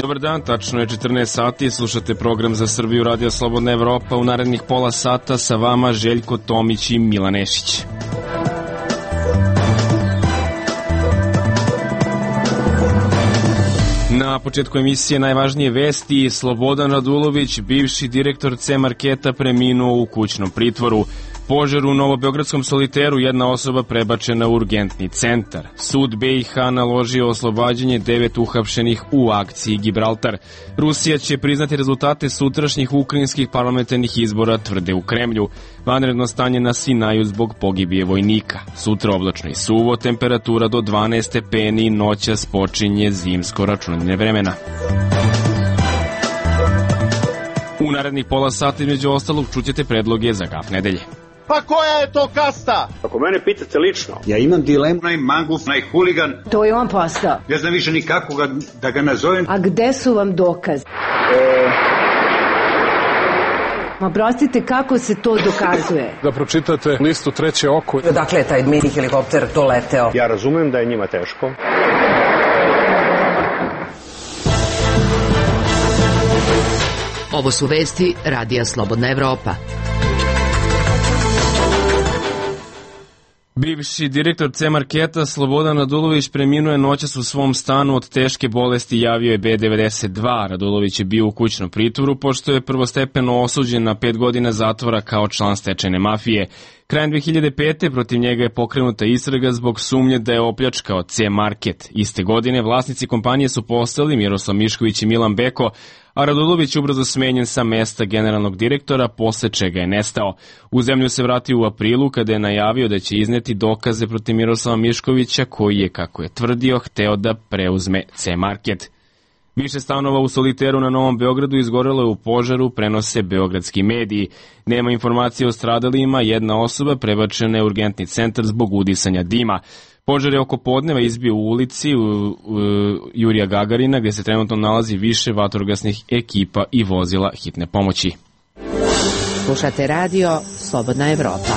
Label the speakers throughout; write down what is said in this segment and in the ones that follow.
Speaker 1: Dobar dan, tačno je 14 sati, slušate program Za Srbiju Radio Slobodna Evropa. U narednih pola sata sa vama Željko Tomić i Milan Nešić. Na početku emisije najvažnije vesti. Slobodan Radulović, bivši direktor C-marketa, preminuo u kućnom pritvoru. Požar u Novobeogradskom Soliteru, jedna osoba prebačena u urgentni centar. Sud BiH naložio oslobađanje 9 uhapšenih u akciji Gibraltar. Rusija će priznati rezultate sutrašnjih ukrajinskih parlamentarnih izbora, tvrde u Kremlju. Vanredno stanje na Sinaju zbog pogibije vojnika. Sutra oblačno i suvo, temperatura do 12 stepeni, noćas počinje zimsko računanje vremena. U narednih pola sata između ostalog čućete predloge za gaf nedelje.
Speaker 2: Pa koja je to kasta?
Speaker 3: Ako mene pitate lično,
Speaker 4: ja imam dilemu. Najmanguf, najhuligan.
Speaker 5: To je on postao.
Speaker 4: Ne znam više nikako da ga nazovem.
Speaker 5: A gde su vam dokazi? Ma prostite, kako se to dokazuje?
Speaker 6: Da pročitate listu Treće oko.
Speaker 7: Dakle, taj mini helikopter doleteo.
Speaker 3: Ja razumem da je njima teško.
Speaker 8: Ovo su vesti Radija Slobodna Evropa.
Speaker 1: Bivši direktor C-marketa Slobodan Radulović preminuo je noćas u svom stanu od teške bolesti, javio je B92. Radulović je bio u kućnom pritvoru pošto je prvostepeno osuđen na 5 godina zatvora kao član stečajne mafije. Krajem 2005. protiv njega je pokrenuta istraga zbog sumnje da je opljačkao C-market. Iste godine vlasnici kompanije su postali Miroslav Mišković i Milan Beko, a Radulović ubrzo smenjen sa mesta generalnog direktora, posle čega je nestao. U zemlju se vratio u aprilu kada je najavio da će izneti dokaze protiv Miroslava Miškovića, koji je, kako je tvrdio, hteo da preuzme C-market. Više stanova u Soliteru na Novom Beogradu izgorelo je u požaru, prenose beogradski mediji. Nema informacije o stradalima, jedna osoba prebačena je u urgentni centar zbog udisanja dima. Požar je oko podneva izbio u ulici Jurija Gagarina, gde se trenutno nalazi više vatrogasnih ekipa i vozila hitne pomoći.
Speaker 8: Slušate radio Slobodna Evropa.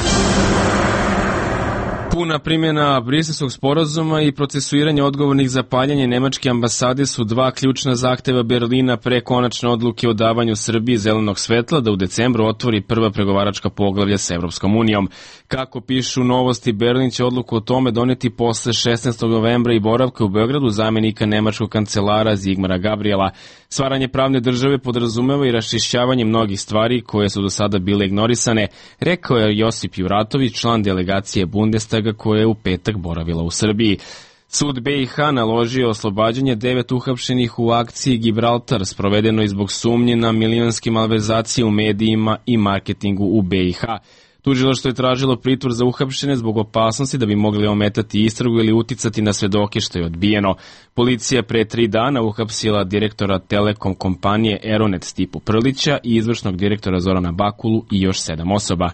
Speaker 1: Puna primjena Briselskog sporazuma i procesuiranje odgovornih za paljanje nemačke ambasade su dva ključna zahteva Berlina pre konačne odluke o davanju Srbiji zelenog svetla da u decembru otvori prva pregovaračka poglavlja sa Evropskom unijom. Kako pišu Novosti, Berlin će odluku o tome doneti posle 16. novembra i boravka u Beogradu zamenika nemačkog kancelara Zigmara Gabriela. Stvaranje pravne države podrazumeva i raščišćavanje mnogih stvari koje su do sada bile ignorisane, rekao je Josip Juratović, član delegacije Bundestaga koja je u petak boravila u Srbiji. Sud BiH naložio oslobađanje 9 uhapšenih u akciji Gibraltar, sprovedeno zbog sumnje na milionske malverzacije u medijima i marketingu u BiH. Tužilaštvo je tražilo pritvor za uhapšene zbog opasnosti da bi mogli ometati istragu ili uticati na svedoke, što je odbijeno. Policija pre 3 dana uhapsila direktora Telekom kompanije Eronet Stipu Prlića i izvršnog direktora Zorana Bakulu i još 7 osoba.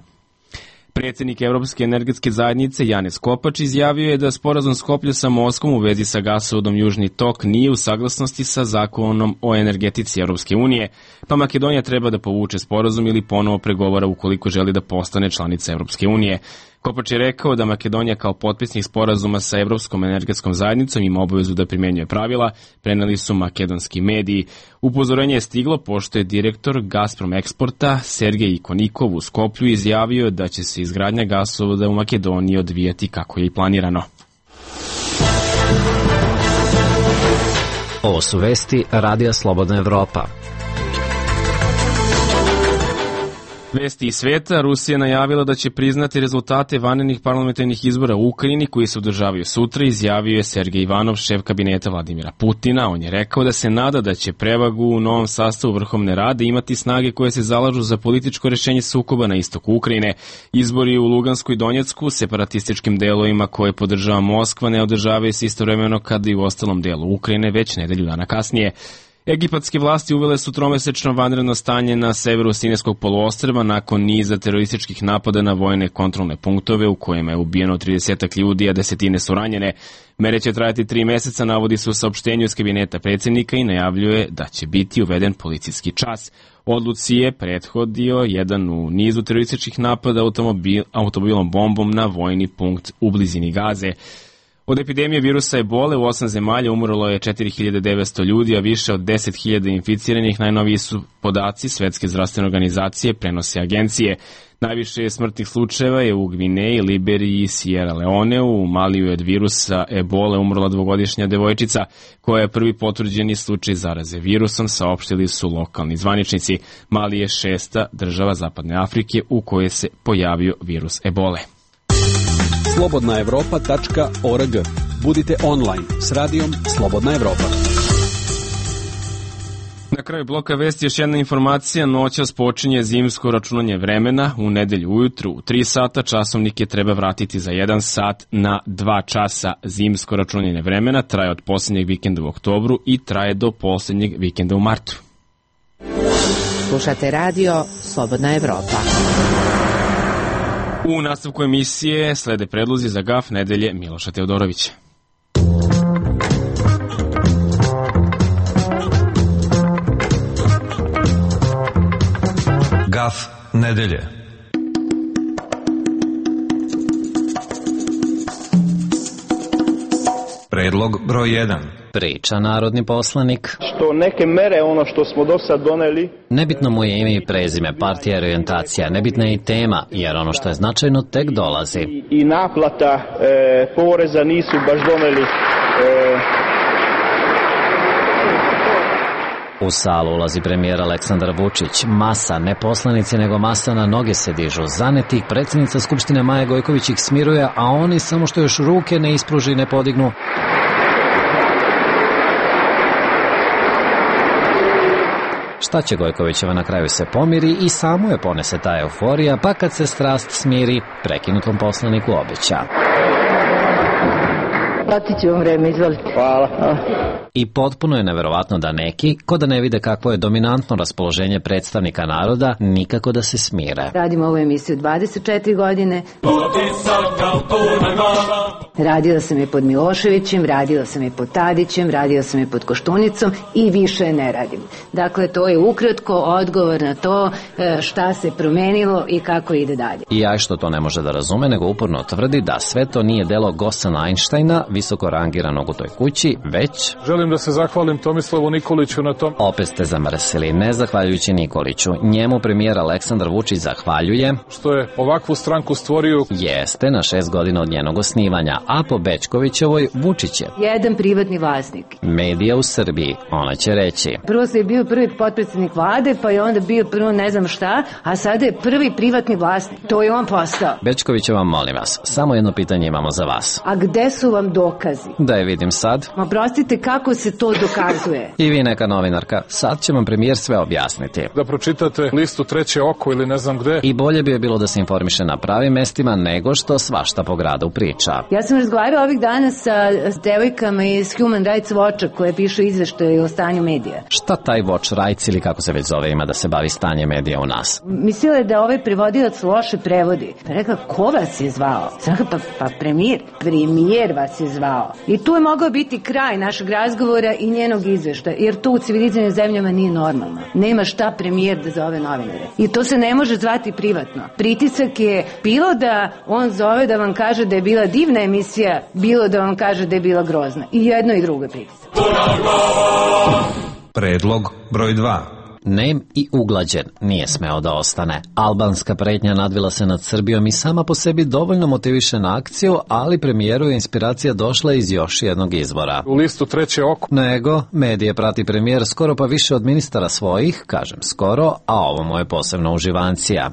Speaker 1: Predsjednik Evropske energetske zajednice Janez Kopač izjavio je da sporazum Skoplja sa Moskvom u vezi sa gasovodom Južni tok nije u saglasnosti sa zakonom o energetici Evropske unije, pa Makedonija treba da povuče sporazum ili ponovo pregovara ukoliko želi da postane članica Evropske unije. Kopač je rekao da Makedonija kao potpisnik sporazuma sa Evropskom energetskom zajednicom ima obavezu da primenjuje pravila, preneli su makedonski mediji. Upozorenje je stiglo pošto je direktor Gazprom Eksporta Sergej Ikonikov u Skoplju izjavio da će se izgradnja gasovoda u Makedoniji odvijati kako je i planirano.
Speaker 9: Ovo su vesti Radija Slobodna Evropa.
Speaker 1: Vesti iz sveta. Rusija najavila da će priznati rezultate vanrednih parlamentarnih izbora u Ukrajini koji se održavaju sutra, izjavio je Sergej Ivanov, šef kabineta Vladimira Putina. On je rekao da se nada da će prevagu u novom sastavu Vrhovne rade imati snage koje se zalažu za političko rešenje sukoba na istoku Ukrajine. Izbori u Lugansku i Donjecku, separatističkim delovima koje podržava Moskva, ne održavaju se istovremeno kada i u ostalom delu Ukrajine već nedelju dana kasnije. Egipatske vlasti uvele su tromesečno vanredno stanje na severu Sinajskog poluostrva nakon niza terorističkih napada na vojne kontrolne punktove u kojima je ubijeno 30 ljudi, a desetine su ranjene. Mere će trajati 3 meseca, navodi se u saopštenju iz kabineta predsjednika i najavljuje da će biti uveden policijski čas. Odluci je prethodio jedan u nizu terorističkih napada automobilom bombom na vojni punkt u blizini Gaze. Od epidemije virusa ebole u 8 zemalja umrlo je 4900 ljudi, a više od 10.000 inficiranih. Najnoviji su podaci Svetske zdravstvene organizacije, prenose agencije. Najviše smrtnih slučajeva je u Gvineji, Liberiji i Sierra Leoneu. U Maliju je od virusa ebole umrla 2-godišnja devojčica koja je prvi potvrđeni slučaj zaraze virusom, saopštili su lokalni zvaničnici. Mali je 6. država Zapadne Afrike u kojoj se pojavio virus ebole.
Speaker 10: Slobodnaevropa.org. Budite online s radijom Slobodna Evropa.
Speaker 1: Na kraju bloka vesti još jedna informacija. Noćas počinje zimsko računanje vremena. U nedelju ujutru u 3 sata časovnike treba vratiti za 1 sat na 2 časa. Zimsko računanje vremena traje od posljednjeg vikenda u oktobru i traje do posljednjeg vikenda u martu.
Speaker 8: Slušate radio Slobodna Evropa.
Speaker 1: U nastavku emisije slede predlozi za GAF nedelje Miloša Teodorovića.
Speaker 11: GAF nedelje. Predlog broj 1.
Speaker 9: Priča narodni poslanik.
Speaker 2: Što neke mere, ono što smo do sad doneli...
Speaker 9: Nebitno mu je ime i prezime, partija i orijentacija, nebitna je i tema, jer ono što je značajno tek dolazi.
Speaker 2: I naplata poreza nisu baš doneli...
Speaker 9: U salu ulazi premijer Aleksandar Vučić. Masa, ne poslanici, nego masa na noge se dižu. Zanetih predsjednica Skupštine Maja Gojković ih smiruje, a oni samo što još ruke ne ispruži i ne podignu. Šta će Gojkovićeva, na kraju se pomiri i samo je ponese ta euforija, pa kad se strast smiri, prekinutom poslaniku obeća.
Speaker 5: Platit ću vam vreme, izvolite.
Speaker 2: Hvala.
Speaker 9: I potpuno je neverovatno da neki, ko da ne vide kakvo je dominantno raspoloženje predstavnika naroda, nikako da se smire.
Speaker 5: Radim ovu emisiju 24 godine. Radila sam je pod Miloševićem, radila sam je pod Tadićem, radila sam je pod Koštunicom i više ne radim. Dakle, to je ukratko odgovor na to šta se promenilo i kako ide dalje.
Speaker 9: I ja što to ne može da razume, nego uporno tvrdi da sve to nije delo Gosana Einsteina, visoko rangiranog u toj kući, već...
Speaker 6: Želim da se zahvalim Tomislavu Nikoliću na tom.
Speaker 9: Opet ste zamrsili, ne zahvaljujući Nikoliću. Njemu premijer Aleksandar Vučić zahvaljuje
Speaker 6: što je ovakvu stranku stvorio.
Speaker 9: Jeste, na 6 godina od njenog osnivanja, a po Bećkovićevoj Vučić je
Speaker 5: jedan privatni vlasnik.
Speaker 9: Medija u Srbiji, ona će reći.
Speaker 5: Prvo se je bio prvi potpredsjednik vlade, pa je onda bio prvo ne znam šta, a sada je prvi privatni vlasnik. To je on postao.
Speaker 9: Bećkovićeva, molim vas, samo jedno pitanje imamo za vas.
Speaker 5: A gde su vam dokazi?
Speaker 9: Da je vidim sad.
Speaker 5: Ma prostite, kako se to dokazuje?
Speaker 9: I vi neka novinarka, sad će vam premijer sve objasniti.
Speaker 6: Da pročitate listu Treće oko ili ne znam gde.
Speaker 9: I bolje bi je bilo da se informiše na pravim mestima nego što svašta po gradu priča.
Speaker 5: Ja sam razgovarala ovih dana sa devojkama iz Human Rights Watcha koje pišu izveštaje o stanju medija.
Speaker 9: Šta taj Watch Rights ili kako se već zove ima da se bavi stanje medija u nas?
Speaker 5: Mislila je da ovaj prevodilac loše prevodi. Pa rekla, ko vas je zvao? Pa premijer vas je zvao. I tu je mogao biti kraj našeg razgovora i njenog izveštaja, jer to u civilizovanim zemljama nije normalno. Nema šta premijer da zove novinare. I to se ne može zvati privatno. Pritisak je bilo da on zove da vam kaže da je bila divna emisija, bilo da vam kaže da je bila grozna. I jedno i drugo je pritisak.
Speaker 11: Predlog broj 2.
Speaker 9: Nem i uglađen nije smeo da ostane. Albanska pretnja nadvila se nad Srbijom i sama po sebi dovoljno motiviše na akciju, ali premijeru je inspiracija došla iz još jednog izvora.
Speaker 6: U listu Treće oko.
Speaker 9: Nego, medije prati premijer skoro pa više od ministara svojih, kažem skoro, a ovo mu je posebno uživancija.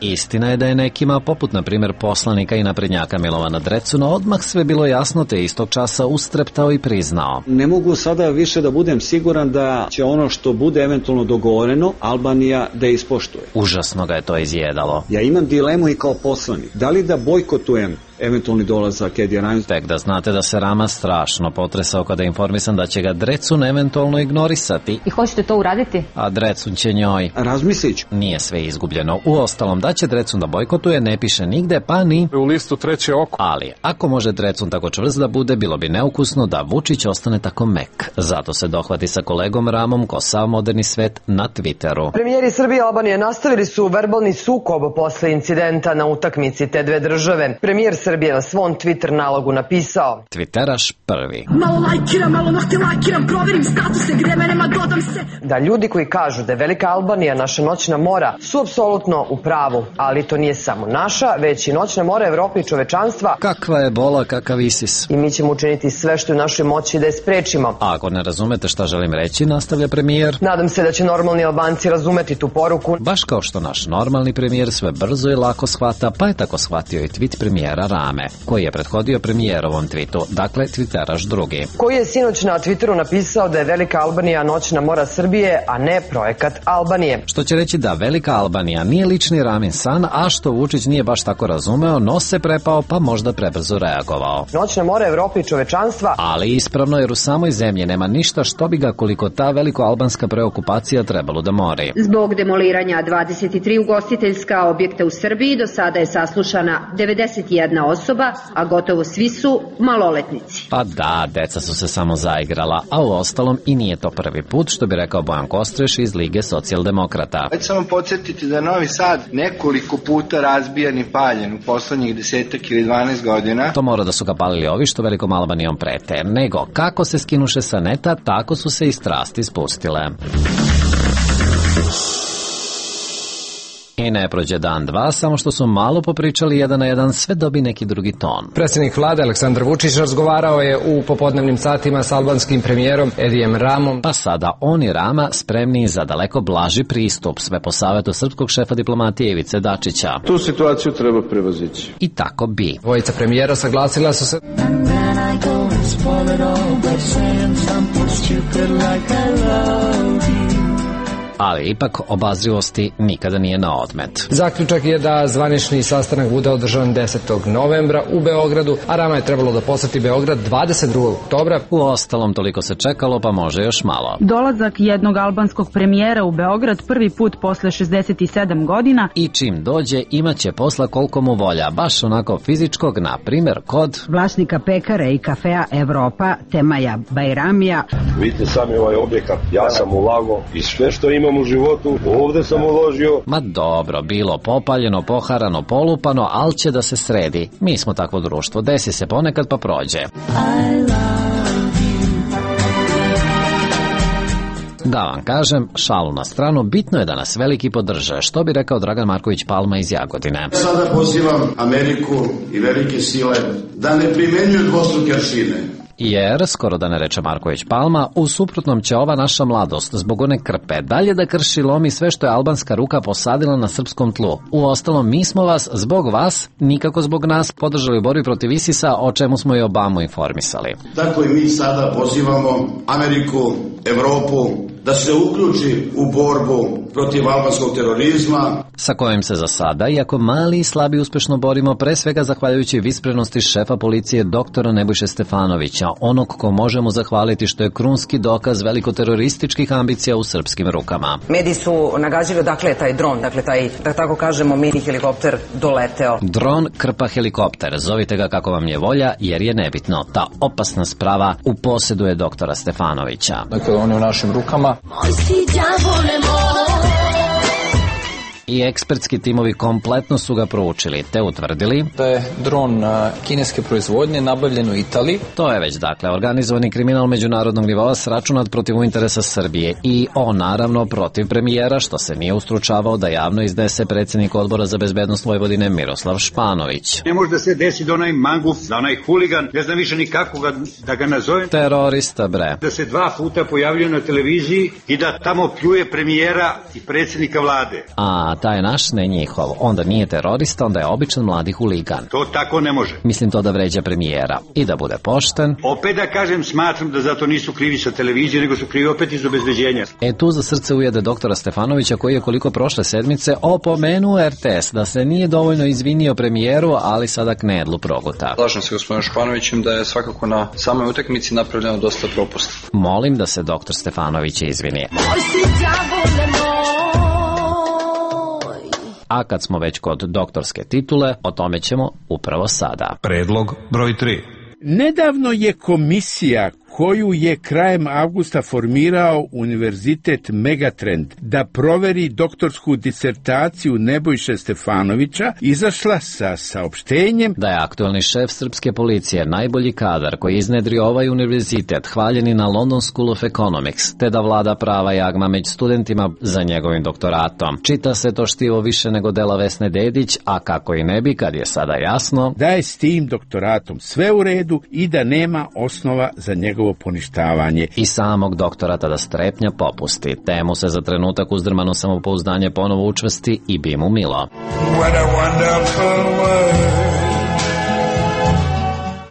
Speaker 9: Istina je da je nekima, poput na primjer poslanika i naprednjaka Milovana Drecuna, odmah sve bilo jasno te istog časa ustreptao i priznao.
Speaker 12: Ne mogu sada više da budem siguran da će ono što bude eventualno dogovoreno Albanija da ispoštuje.
Speaker 9: Užasno ga je to izjedalo.
Speaker 12: Ja imam dilemu i kao poslanik. Da li da bojkotujem eventualni dolazak Edija Rama.
Speaker 9: Tek da znate da se Rama strašno potresao kada je informisan da će ga Drecun eventualno ignorisati.
Speaker 5: I hoćete to uraditi?
Speaker 9: A Drecun će njoj.
Speaker 12: Razmislit ću.
Speaker 9: Nije sve izgubljeno. Uostalom, da će Drecun da bojkotuje ne piše nigde, pa ni
Speaker 6: u listu treće oko.
Speaker 9: Ali, ako može Drecun tako čvrst da bude, bilo bi neukusno da Vučić ostane tako mek. Zato se dohvati sa kolegom Ramom ko sav moderni svet na Twitteru.
Speaker 7: Premijeri Srbije i Albanije nastavili su verbalni sukob posle incidenta na utakmici te dve države. Premijer Srbije na svom Twitter nalogu napisao:
Speaker 9: Twitteraš prvi.
Speaker 13: Malo lajkiram, malo nahte lajkiram, proverim statuse, gde menema, dodam se.
Speaker 7: Da ljudi koji kažu da je Velika Albanija naša noćna mora su apsolutno u pravu, ali to nije samo naša, već i noćna mora Evrope i čovečanstva.
Speaker 9: Kakva je bola, kakav Isis.
Speaker 7: I mi ćemo učiniti sve što je u našoj moći da je sprečimo.
Speaker 9: A ako ne razumete šta želim reći, nastavlja premijer.
Speaker 7: Nadam se da će normalni Albanci razumeti tu poruku.
Speaker 9: Baš kao što naš normalni premijer sve brzo i lako shvata, pa je tako shvatio i tweet premijera Rame, koji je prethodio premijerovom tweetu, dakle Twitteraš drugi.
Speaker 7: Koji je sinoć na Twitteru napisao da je Velika Albanija noćna mora Srbije, a ne projekat Albanije.
Speaker 9: Što će reći da Velika Albanija nije lični Ramin san, a što Vučić nije baš tako razumeo, no se prepao pa možda prebrzo reagovao.
Speaker 7: Noćna mora Evrope i čovečanstva.
Speaker 9: Ali ispravno, jer u samoj zemlji nema ništa što bi ga koliko ta veliko-albanska preokupacija trebalo da mori.
Speaker 14: Zbog demoliranja 23 ugostiteljska objekta u Srbiji do sada je saslušana 91 osoba, a gotovo svi su maloletnici.
Speaker 9: Pa da, deca su se samo zaigrala, a u ostalom i nije to prvi put, što bi rekao Bojan Kostreš iz Lige socijaldemokrata.
Speaker 15: Hoću samo podsjetiti da je Novi Sad nekoliko puta razbijan i paljen u poslednjih 10 ili 12 godina.
Speaker 9: To mora da su ga palili ovi što Velikom Albanijom prete, nego kako se skinuše sa neta, tako su se i strasti spustile. I ne prođe dan dva, samo što su malo popričali jedan na jedan, sve dobi neki drugi ton.
Speaker 16: Predsjednik vlade Aleksandar Vučić razgovarao je u popodnevnim satima s albanskim premijerom Edijem Ramom.
Speaker 9: Pa sada on i Rama spremni za daleko blaži pristup, sve po savjetu srpskog šefa diplomatije Ivice Dačića.
Speaker 17: Tu situaciju treba prevazići.
Speaker 9: I tako bi.
Speaker 16: Dvojica premijera saglasila su se
Speaker 9: ali ipak obazrivosti nikada nije na odmet.
Speaker 16: Zaključak je da zvanični sastanak bude održan 10. novembra u Beogradu, a Rama je trebalo da poseti Beograd 22. oktobra.
Speaker 9: U ostalom toliko se čekalo, pa može još malo.
Speaker 18: Dolazak jednog albanskog premijera u Beograd prvi put posle 67 godina.
Speaker 9: I čim dođe imaće posla koliko mu volja, baš onako fizičkog, na primjer kod
Speaker 19: vlasnika pekare i kafea Evropa, Temaja Bajramija.
Speaker 17: Vidite sami ovaj objekat, ja sam ulagao i sve što imam u životu, ovde sam uložio.
Speaker 9: Ma dobro, bilo popaljeno, poharano, polupano, ali će da se sredi. Mi smo takvo društvo, desi se ponekad pa prođe. Da vam kažem, šalu na stranu, bitno je da nas veliki podrže, što bi rekao Dragan Marković Palma iz Jagodine.
Speaker 20: Sada pozivam Ameriku i velike sile da ne primenjuju dvostruke aršine.
Speaker 9: Jer, skoro da ne reče Marković Palma, u suprotnom će ova naša mladost zbog one krpe dalje da krši lomi sve što je albanska ruka posadila na srpskom tlu. Uostalom, mi smo vas, zbog vas, nikako zbog nas, podržali u borbi protiv ISIS-a, o čemu smo i Obamu informisali.
Speaker 20: Tako i mi sada pozivamo Ameriku, Evropu, da se uključi u borbu protiv albanskog terorizma,
Speaker 9: sa kojim se za sada, iako mali i slabi, uspešno borimo, pre svega zahvaljujući visprenosti šefa policije doktora Nebojše Stefanovića, onog ko možemo zahvaliti što je krunski dokaz velikoterorističkih ambicija u srpskim rukama.
Speaker 7: Mediji su nagađali odakle je taj dron, dakle taj, da tako kažemo, mini helikopter doleteo.
Speaker 9: Dron krpa helikopter, zovite ga kako vam je volja, jer je nebitno. Ta opasna sprava u posedu je doktora Stefanovića.
Speaker 6: Dakle, on je u našim rukama.
Speaker 9: I ekspertski timovi kompletno su ga proučili, te utvrdili
Speaker 6: da je dron kineske proizvodnje nabavljen u Italiji.
Speaker 9: To je već, dakle, organizovani kriminal međunarodnog nivoa sračunat protiv interesa Srbije i on naravno protiv premijera, što se nije ustručavao da javno iznese predsjednik Odbora za bezbednost Vojvodine Miroslav Španović.
Speaker 4: Ne može da se desi da onaj manguf, da onaj huligan, ne znam više nikako da ga nazovem.
Speaker 9: Terorista, bre.
Speaker 4: Da se 2 puta pojavljuje na televiziji i da tamo pljuje premijera i predsjednika vlade.
Speaker 9: A taj naš ne njihov. Onda nije terorista, onda je običan mladi huligan.
Speaker 4: To tako ne može.
Speaker 9: Mislim to da vređa premijera. I da bude pošten.
Speaker 4: Opet da kažem, smatram da zato nisu krivi sa televizije, nego su krivi opet iz obezbeđenja.
Speaker 9: Tu za srce ujede doktora Stefanovića, koji je koliko prošle sedmice opomenuo RTS da se nije dovoljno izvinio premijeru, ali sada knedlu proguta.
Speaker 6: Slažem se gospodinom Španovićem da je svakako na samoj utakmici napravljeno dosta propusta.
Speaker 9: Molim da se doktor Stefanović izvini. A kad smo već kod doktorske titule, o tome ćemo upravo sada.
Speaker 11: Predlog broj 3.
Speaker 21: Nedavno je komisija koju je krajem avgusta formirao Univerzitet Megatrend da proveri doktorsku disertaciju Nebojše Stefanovića, izašla sa saopštenjem
Speaker 9: da je aktuelni šef srpske policije najbolji kadar koji iznedrio ovaj univerzitet, hvaljeni na London School of Economics, te da vlada prava jagma među studentima za njegovim doktoratom. Čita se to štivo više nego dela Vesne Dedić, a kako i ne bi kad je sada jasno
Speaker 21: da je s tim doktoratom sve u redu i da nema osnova za njegovo poništavanje.
Speaker 9: I samog doktora tada strepnja popusti. Temu se za trenutak uzdrmano samopouzdanje ponovo učvrsti i bi mu milo.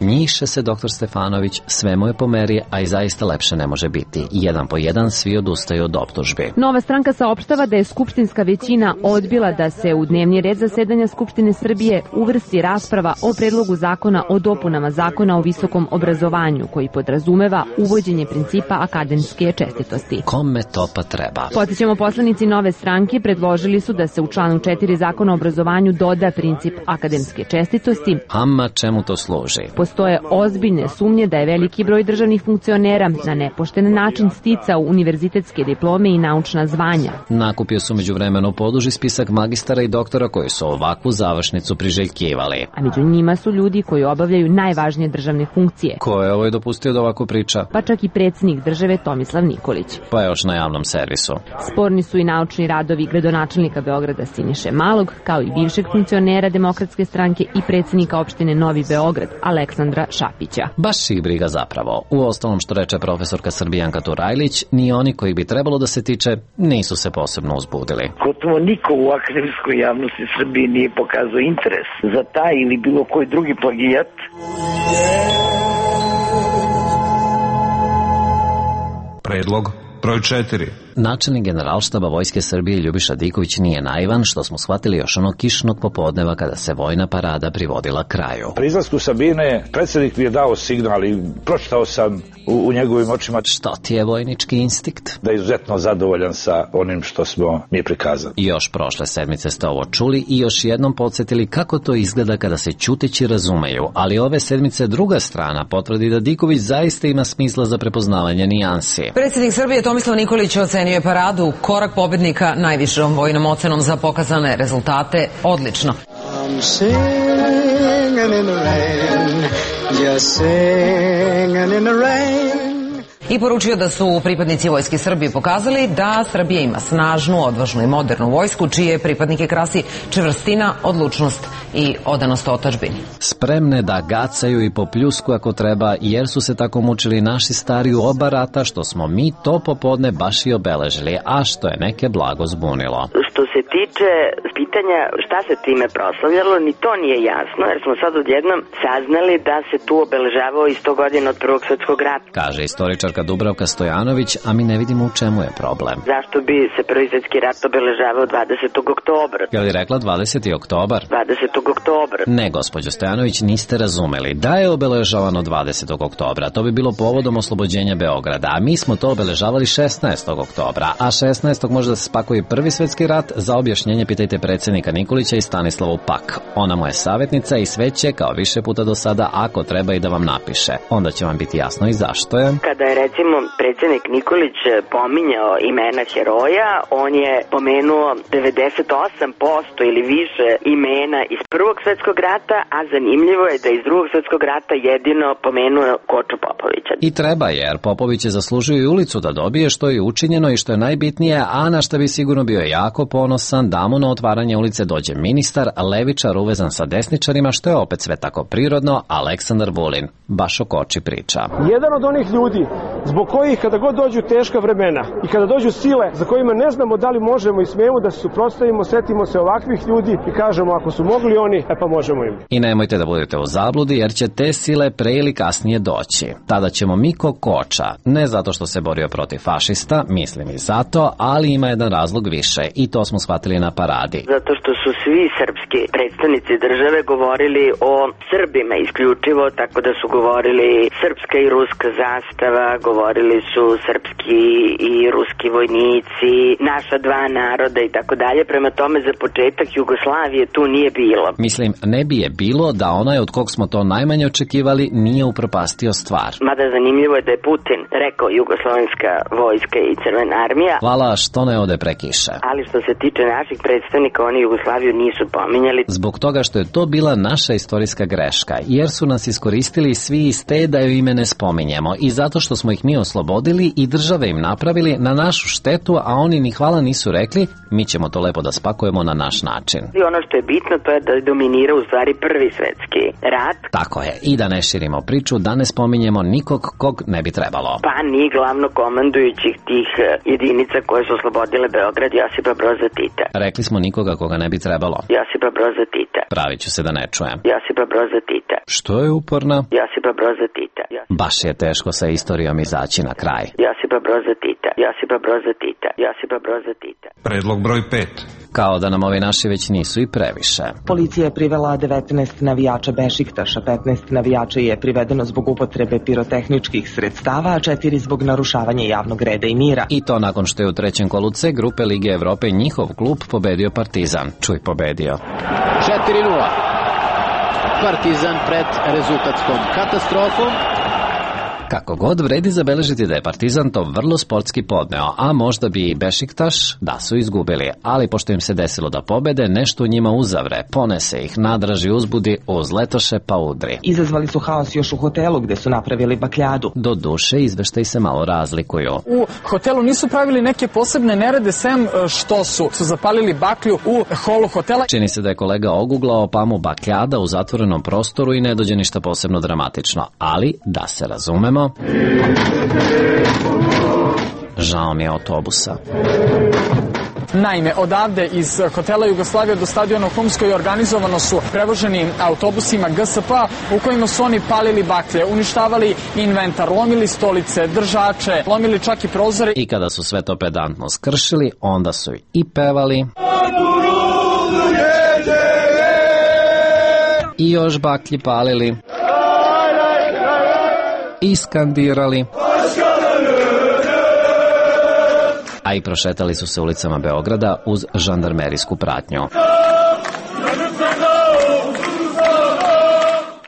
Speaker 9: Njiše se doktor Stefanović, sve mu je po meri, a i zaista lepše ne može biti. Jedan po jedan svi odustaju od optužbi.
Speaker 22: Nova stranka saopštava da je skupštinska većina odbila da se u dnevni red zasedanja Skupštine Srbije uvrsti rasprava o predlogu zakona o dopunama zakona o visokom obrazovanju, koji podrazumeva uvođenje principa akademske čestitosti.
Speaker 9: Kome to pa treba?
Speaker 22: Podsjećamo, poslanici Nove stranke predložili su da se u članu 4 zakona o obrazovanju doda princip akademske čestitosti.
Speaker 9: Ama čemu to služi?
Speaker 22: Postoje ozbiljne sumnje da je veliki broj državnih funkcionera na nepošten način sticao univerzitetske diplome i naučna zvanja.
Speaker 9: Nakupio su međuvremeno poduži spisak magistara i doktora koji su ovakvu završnicu priželjkivali.
Speaker 22: A među njima su ljudi koji obavljaju najvažnije državne funkcije.
Speaker 9: Ko je ovo dopustio da ovako priča?
Speaker 22: Pa čak i predsjednik države Tomislav Nikolić.
Speaker 9: Pa još na javnom servisu.
Speaker 22: Sporni su i naučni radovi gradonačelnika Beograda Siniše Malog, kao i bivšeg funkcionera Demokratske stranke i predsjednika opštine Novi Beograd, Aleksandra Šapića.
Speaker 9: Baš ih briga zapravo. U ostalom, što reče profesorka Srbijanka Turajlić, ni oni koji bi trebalo da se tiče nisu se posebno uzbudili.
Speaker 23: Gotovo niko u akademskoj javnosti Srbije nije pokazao interes za taj ili bilo koji drugi plagijat.
Speaker 11: Predlog broj 4.
Speaker 9: Načelnik Generalštaba Vojske Srbije Ljubiša Diković nije naivan, što smo shvatili još onog kišnog popodneva kada se vojna parada privodila kraju.
Speaker 24: Pri izlasku Sabine predsjednik mi je dao signal i pročitao sam u njegovim očima.
Speaker 9: Što ti je vojnički instinkt?
Speaker 24: Da je izuzetno zadovoljan sa onim što smo mi prikazali.
Speaker 9: Još prošle sedmice ste ovo čuli i još jednom podsjetili kako to izgleda kada se ćuteći razumeju, ali ove sedmice druga strana potvrdi da Diković zaista ima smisla za prepoznavanje nijansi.
Speaker 7: Predsjednik Srbije Tomislav Nikolić ocenio je paradu korak pobednika najvišom vojnom ocenom za pokazane rezultate odlično. I poručio da su pripadnici Vojske Srbije pokazali da Srbija ima snažnu, odvažnu i modernu vojsku, čije pripadnike krasi čvrstina, odlučnost i odanost otadžbini.
Speaker 9: Spremne da gacaju i po pljusku ako treba, jer su se tako mučili naši stari u oba rata, što smo mi to popodne baš i obeležili, a što je neke blago zbunilo.
Speaker 25: Što se tiče pitanja šta se time proslavljalo, ni to nije jasno, jer smo sad odjednom saznali da se tu obeležavao i 100 godina od Prvog svjetskog rata.
Speaker 9: Kaže istoričarka Dubravka Stojanović, a mi ne vidimo u čemu je problem.
Speaker 25: Zašto bi se Prvi svjetski rat obeležavao 20. oktobra?
Speaker 9: Je li rekla 20. oktobar?
Speaker 25: 20. oktobra.
Speaker 9: Ne, gospođo Stojanović, niste razumeli. Da je obeležavano 20. oktobra, to bi bilo povodom oslobođenja Beograda, a mi smo to obeležavali 16. oktobra, a 16. može da se spakuje Prvi svjetski rat. Za objašnjenje pitajte predsjednika Nikolića i Stanislavu Pak. Ona mu je savjetnica i sve će, kao više puta do sada, ako treba i da vam napiše. Onda će vam biti jasno i zašto je.
Speaker 25: Kada je recimo predsjednik Nikolić pominjao imena heroja, on je pomenuo 98% ili više imena iz Prvog svjetskog rata, a zanimljivo je da iz Drugog svjetskog rata jedino pomenuo Koču Popovića.
Speaker 9: I treba, jer Popović je zaslužio i ulicu da dobije, što je učinjeno i što je najbitnije, a na što bi sigurno bio jako ponosan da mu na otvaranje ulice dođe ministar, levičar uvezan sa desničarima, što je opet sve tako prirodno, Aleksandar Vulin. Baš o Koči priča.
Speaker 26: Jedan od onih ljudi
Speaker 1: zbog kojih kada god dođu teška vremena i kada dođu sile za kojima ne znamo da li možemo i smijemo da se suprotstavimo, setimo se ovakvih ljudi i kažemo ako su mogli oni, pa možemo im.
Speaker 9: I nemojte da budete u zabludi jer će te sile pre ili kasnije doći. Tada ćemo Miko Koča, ne zato što se borio protiv fašista, mislim i zato, ali ima jedan razlog više i to smo shvatili na paradi.
Speaker 25: Zato što su svi srpski predstavnici države govorili o Srbima isključivo, tako da su govorili srpska i ruska zastava, govorili su srpski i ruski vojnici, naša dva naroda i tako dalje. Prema tome za početak Jugoslavije tu nije bilo.
Speaker 9: Mislim, ne bi je bilo da onaj od kog smo to najmanje očekivali nije upropastio stvar.
Speaker 25: Mada zanimljivo je da je Putin rekao jugoslovenska vojska i crvena armija.
Speaker 9: Hvala što ne ode prekiše.
Speaker 25: Ali što se tiče naših predstavnika, oni Jugoslaviju nisu pominjali.
Speaker 9: Zbog toga što je to bila naša istorijska greška, jer su nas iskoristili svi iz te da ju ime ne spominjemo i zato što smo ih mi oslobodili i države im napravili na našu štetu, a oni ni hvala nisu rekli, mi ćemo to lepo da spakujemo na naš način.
Speaker 25: I ono što je bitno to je da dominira u stvari prvi svetski rat.
Speaker 9: Tako je, i da ne širimo priču, da ne spominjemo nikog kog ne bi trebalo.
Speaker 25: Pa ni glavno komandujućih tih jedinica koje su oslobodile Beograd, Josipa Broza Tita.
Speaker 9: Rekli smo nikoga koga ne bi trebalo.
Speaker 25: Josipa Broza Tita.
Speaker 9: Pravit ću se da ne čujem.
Speaker 25: Josipa Broza Tita.
Speaker 9: Što je uporna?
Speaker 25: Josipa Broza Tita.
Speaker 9: Baš je teško sa istorijom izaći na kraj.
Speaker 25: Josipa Broza Tita. Josipa Broza Tita. Josipa Broza Tita.
Speaker 11: Predlog broj 5.
Speaker 9: Kao da nam ovi naši već nisu i previše.
Speaker 2: Policija je privela 19 navijača Bešiktaša, 15 navijača je privedeno zbog upotrebe pirotehničkih sredstava, a 4 zbog narušavanja javnog reda i mira.
Speaker 9: I to nakon što je u trećem kolu C grupe Lige Evrope njihov klub pobedio Partizan. Čuj, pobedio.
Speaker 3: 4:0. Partizan pred rezultatskom katastrofom.
Speaker 9: Kako god, vredi zabeležiti da je Partizan to vrlo sportski podneo, a možda bi i Bešiktaš da su izgubili, ali pošto im se desilo da pobede, nešto u njima uzavre, ponese ih, nadraži, uzbudi, uzletoše pa udri.
Speaker 2: Izazvali su haos još u hotelu gde su napravili bakljadu.
Speaker 9: Do duše, izveštaji se malo razlikuju.
Speaker 8: U hotelu nisu pravili neke posebne nerede, sem što su zapalili baklju u holu hotela.
Speaker 9: Čini se da je kolega oguglao, pa mu bakljada u zatvorenom prostoru i ne dođe ništa posebno dramatično, ali da se razumemo, žao mi je autobusa.
Speaker 8: Naime, odavde iz hotela Jugoslavija do stadiona u Humskoj organizovano su prevoženi autobusima GSP u kojima su oni palili baklje, uništavali inventar, lomili stolice, držače, lomili čak i prozore.
Speaker 9: I kada su sve to pedantno skršili, onda su i pevali i još baklji palili i skandirali, a i prošetali su se ulicama Beograda uz žandarmerijsku pratnju.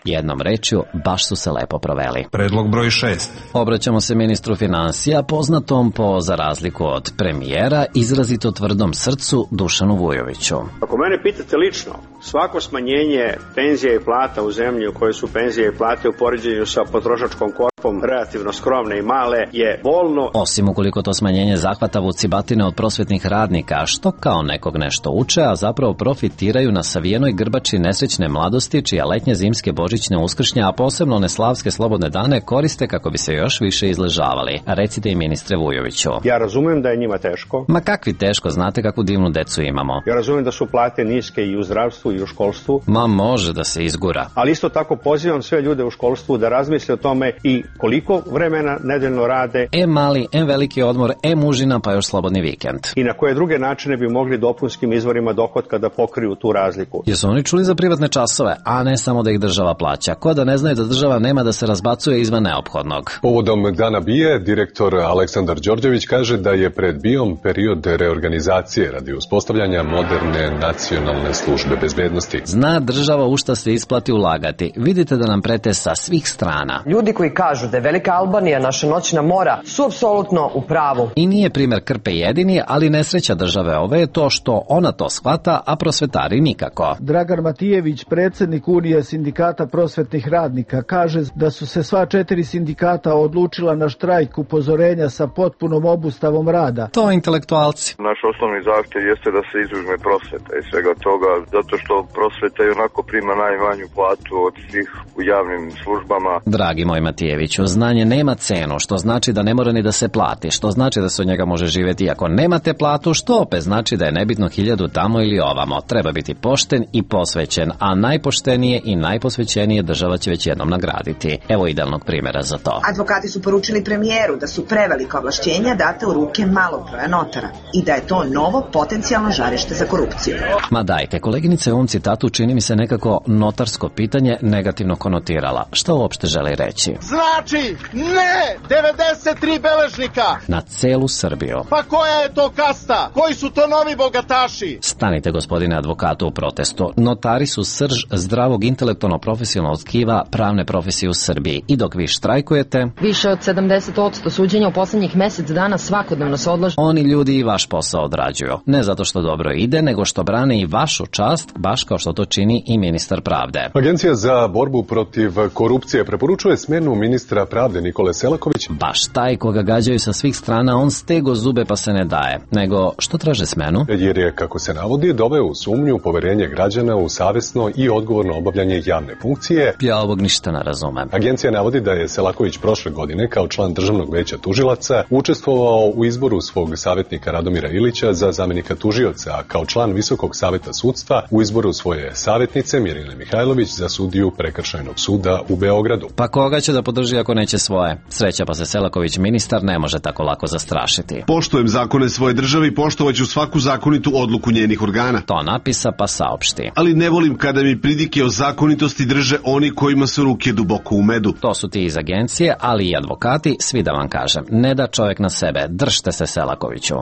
Speaker 9: Jednom rečju, baš su se lepo proveli.
Speaker 11: Predlog broj 6.
Speaker 9: Obraćamo se ministru finansija, poznatom po, za razliku od premijera, izrazito tvrdom srcu Dušanu Vujoviću.
Speaker 10: Ako mene pitate lično, svako smanjenje penzija i plata u zemlji u kojoj su penzije i plate u poređenju sa potrošačkom korpom relativno skromne i male je bolno.
Speaker 9: Osim ukoliko to smanjenje zahvata vucibatine od prosvetnih radnika, što kao nekog nešto uče, a zapravo profitiraju na savijenoj grbači nesrećne mladosti, čija letnje, zimske, božićne, uskršnje, a posebno one slavske slobodne dane koriste kako bi se još više izležavali. Recite i ministre Vujoviću.
Speaker 10: Ja razumem da je njima teško.
Speaker 9: Ma kakvi teško, znate kakvu divnu decu imamo.
Speaker 10: Ja razumem da su plate niske i u zdravstvu i u školstvu.
Speaker 9: Ma može da se izgura.
Speaker 10: Ali isto tako pozivam sve ljude u školstvu da razmisle o tome i koliko vremena nedeljno rade.
Speaker 9: Mali, veliki odmor, užina, pa još slobodni vikend.
Speaker 10: I na koje druge načine bi mogli dopunskim izvorima dohotka da pokriju tu razliku.
Speaker 9: Jesu oni čuli za privatne časove, a ne samo da ih država plaća? Ko da ne znaju da država nema da se razbacuje izvan neophodnog?
Speaker 26: Povodom Dana BIA, direktor Aleksandar Đorđević kaže da je pred BIA-om period reorganizacije radi uspostavljanja moderne nacionalne službe bezbednosti.
Speaker 9: Zna država u šta se isplati ulagati. Vidite da nam prete sa svih strana.
Speaker 27: Ljudi koji kažu da je Velika Albanija naša noćna mora su apsolutno u pravu.
Speaker 9: I nije primer Krpe jedini, ali nesreća države ove je to što ona to shvata, a prosvetari nikako.
Speaker 28: Dragan Matijević, predsjednik Unije sindikata prosvetnih radnika, kaže da su se sva 4 sindikata odlučila na štrajk upozorenja sa potpunom obustavom rada.
Speaker 9: To intelektualci.
Speaker 29: Naš osnovni zahtjev jeste da se izuzme prosveta i svega toga, zato što prosveta i onako prima najmanju platu od svih u javnim službama.
Speaker 9: Dragi moj Matijević, Selakoviću, znanje nema cenu, što znači da ne mora ni da se plati, što znači da se od njega može živjeti ako nemate platu, što opet znači da je nebitno 1000 tamo ili ovamo. Treba biti pošten i posvećen, a najpoštenije i najposvećenije država će već jednom nagraditi. Evo idealnog primjera za to.
Speaker 5: Advokati su poručili premijeru da su prevelika ovlašćenja date u ruke malog broja notara i da je to novo potencijalno žarište za korupciju.
Speaker 9: Ma dajte, koleginica je u ovom citatu čini mi se nekako notarsko pitanje negativno konotirala. Šta uopšte želi reći?
Speaker 12: Znači, ne 93 beležnika!
Speaker 9: Na celu Srbiju.
Speaker 12: Pa koja je to kasta? Koji su to novi bogataši?
Speaker 9: Stanite, gospodine advokatu, u protestu. Notari su srž zdravog intelektualno-profesionalnog tkiva pravne profesije u Srbiji. I dok vi štrajkujete...
Speaker 13: Više od 70% suđenja u poslednjih mesec dana svakodnevno se odlaže.
Speaker 9: Oni ljudi i vaš posao odrađuju. Ne zato što dobro ide, nego što brane i vašu čast, baš kao što to čini i ministar pravde.
Speaker 26: Agencija za borbu protiv korupcije preporučuje smjenu ministra pravde Nikole Selaković.
Speaker 9: Baš taj koga gađaju sa svih strana, on stego zube pa se ne daje. Nego, što traže smenu?
Speaker 26: Jer je, kako se navodi, doveo u sumnju poverenje građana u savjesno i odgovorno obavljanje javne funkcije.
Speaker 9: Ja ovog ništa ne razumem.
Speaker 26: Agencija navodi da je Selaković prošle godine kao član Državnog veća tužilaca učestvovao u izboru svog savjetnika Radomira Ilića za zamjenika tužioca, a kao član Visokog savjeta sudstva u izboru svoje savjetnice Mirjane Mihajlović za sudiju Prekršajnog suda u Beogradu.
Speaker 9: Pa koga će da podrži ako neće svoje? Sreća pa se Selaković ministar ne može tako lako zastrašiti.
Speaker 14: Poštujem zakone svoje države i poštovaću svaku zakonitu odluku njenih organa.
Speaker 9: To napisa pa saopšti.
Speaker 14: Ali ne volim kada mi pridike o zakonitosti drže oni kojima su ruke duboko u medu.
Speaker 9: To su ti iz agencije, ali i advokati, svi da vam kažem. Ne da čovjek na sebe, držte se Selakoviću.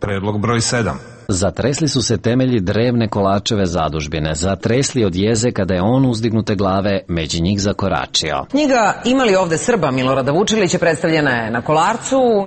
Speaker 11: Predlog broj 7.
Speaker 9: Zatresli su se temelji drevne Kolačeve zadužbine, zatresli od jeze kada je on uzdignute glave među njih zakoračio.
Speaker 7: Knjiga Ima li ovde Srba Milorada Vučilića predstavljena je na Kolarcu.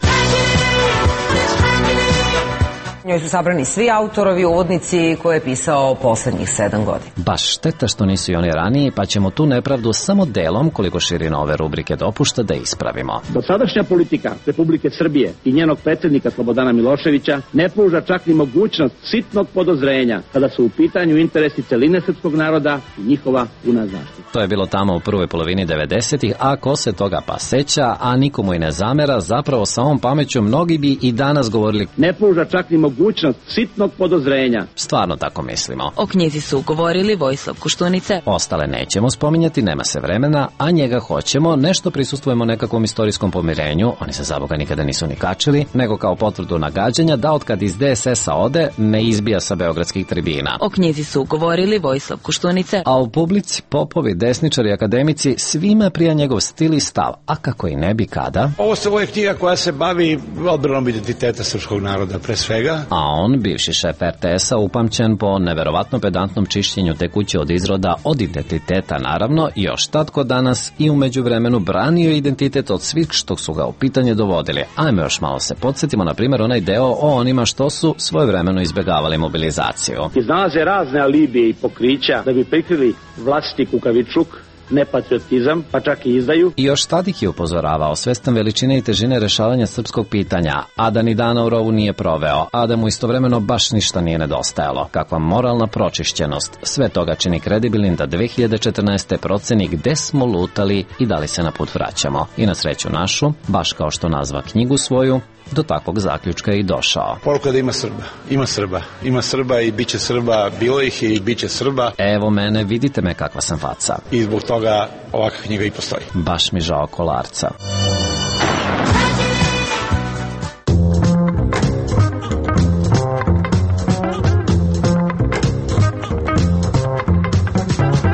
Speaker 7: U njoj su sabrani svi autorovi, uvodnici koje je pisao poslednjih 7 godina.
Speaker 9: Baš šteta što nisu i oni raniji, pa ćemo tu nepravdu samo delom, koliko širina ove rubrike dopušta, da ispravimo.
Speaker 15: Dosadašnja politika Republike Srbije i njenog predsjednika Slobodana Miloševića ne pruža čak ni mogućnost sitnog podozrenja kada su u pitanju interesi celine srpskog naroda i njihova puna zaštita.
Speaker 9: To je bilo tamo u prvoj polovini 90-ih, a ko se toga pa seća, a nikomu i ne zamera, zapravo sa ovom pameću mnogi bi i danas govorili
Speaker 15: ne pruža čak ni mogućnost sitnog podozrenja.
Speaker 9: Stvarno tako mislimo.
Speaker 13: O knjizi su govorili Vojislav Koštunice.
Speaker 9: Ostale nećemo spominjati, nema se vremena, a njega hoćemo, nešto prisustvujemo nekakvom istorijskom pomirenju, oni se za Boga nikada nisu ni kačili, nego kao potvrdu nagađanja da otkad iz DSS-a ode, ne izbija sa beogradskih tribina.
Speaker 13: O knjizi su govorili Vojislav Koštunice.
Speaker 9: A u publici popovi, desničari i akademici, svima prija njegov stil i stav, a kako i ne bi kada.
Speaker 16: Ovo je knjiga koja se bavi odbranom identiteta srpskog naroda, pre svega.
Speaker 9: A on, bivši šef RTS-a, upamćen po neverovatno pedantnom čišćenju te kuće od izroda, od identiteta naravno, još tatko danas i u međuvremenu branio identitet od svih što su ga u pitanje dovodili. Ajme još malo se podsjetimo, na primjer, onaj deo o onima što su svojevremeno izbjegavali mobilizaciju.
Speaker 15: Iznalaze razne alibije i pokrića da bi prikrili vlastiti kukavičluk, nepatriotizam, pa čak i izdaju.
Speaker 9: I još Tadik je upozoravao, svestan veličine i težine rešavanja srpskog pitanja, a da ni dana u rovu nije proveo, a da mu istovremeno baš ništa nije nedostajalo. Kakva moralna pročišćenost. Sve toga čini kredibilnim da 2014. proceni gde smo lutali i da li se na put vraćamo. I na sreću našu, baš kao što nazva knjigu svoju, do takvog zaključka je i došao.
Speaker 16: Poruka da ima Srba. Ima Srba. Ima Srba i bit će Srba. Bilo ih je i bit će Srba.
Speaker 9: Evo mene, vidite me kakva sam faca.
Speaker 16: I zbog toga ovakva knjiga i postoji.
Speaker 9: Baš mi žao Kolarca.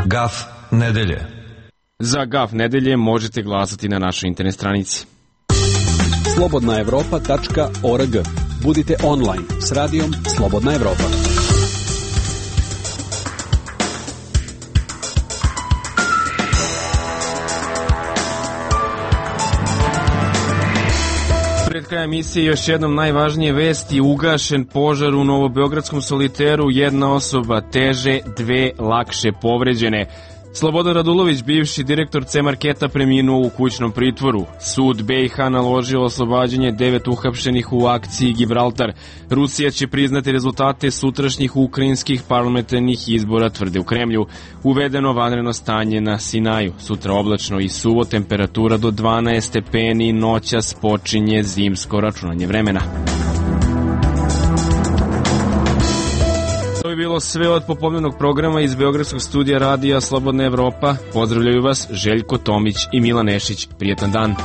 Speaker 11: Gaf nedelje.
Speaker 17: Za Gaf nedelje možete glasati na našoj internet stranici.
Speaker 18: slobodnaevropa.org. Budite online s radijom Slobodna Evropa.
Speaker 17: Pred kraja emisije još jednom najvažnije vesti: ugašen požar u Novobeogradskom Soliteru, jedna osoba teže, 2 lakše povređene. Slobodan Radulović, bivši direktor C-marketa, preminuo u kućnom pritvoru. Sud BiH naložio oslobađanje 9 uhapšenih u akciji Gibraltar. Rusija će priznati rezultate sutrašnjih ukrajinskih parlamentarnih izbora, tvrde u Kremlju. Uvedeno vanredno stanje na Sinaju. Sutra oblačno i suvo, temperatura do 12 stepeni, noćas počinje zimsko računanje vremena. To je bilo sve od popodnevnog programa iz Beogradskog studija radija Slobodna Evropa. Pozdravljaju vas Željko Tomić i Milan Nešić. Prijetan dan.